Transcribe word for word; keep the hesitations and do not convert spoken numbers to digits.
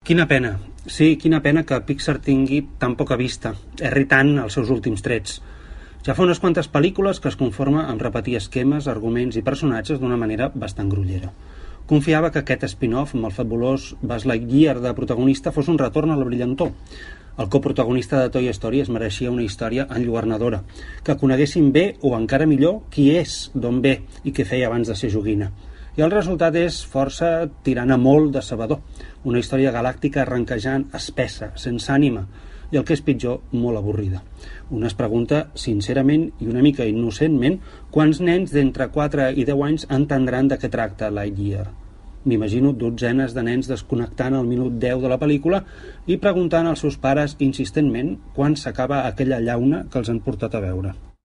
Quina pena. Sí, quina pena que Pixar tingui tan poca vista, erri tant els seus últims trets. Ja fa unes quantes pel·lícules que es conforma amb repetir esquemes, arguments i personatges d'una manera bastant grollera. Confiava que aquest spin-off amb el fabulós Buzz Lightyear de protagonista fos un retorn a la brillantor. El coprotagonista de Toy Story es mereixia una història enlluernadora, que coneguessin bé o encara millor qui és, d'on ve i què feia abans de ser joguina. I el resultat és força tirant a molt decebedor. Una història galàctica arranquejant, espessa, sense ànima, i el que és pitjor, molt avorrida. Un es pregunta, sincerament i una mica innocentment, quants nens d'entre quatre i deu anys entendran de què tracta Lightyear. M'imagino dotzenes de nens desconnectant al minut deu de la pel·lícula i preguntant als seus pares insistentment quan s'acaba aquella llauna que els han portat a veure.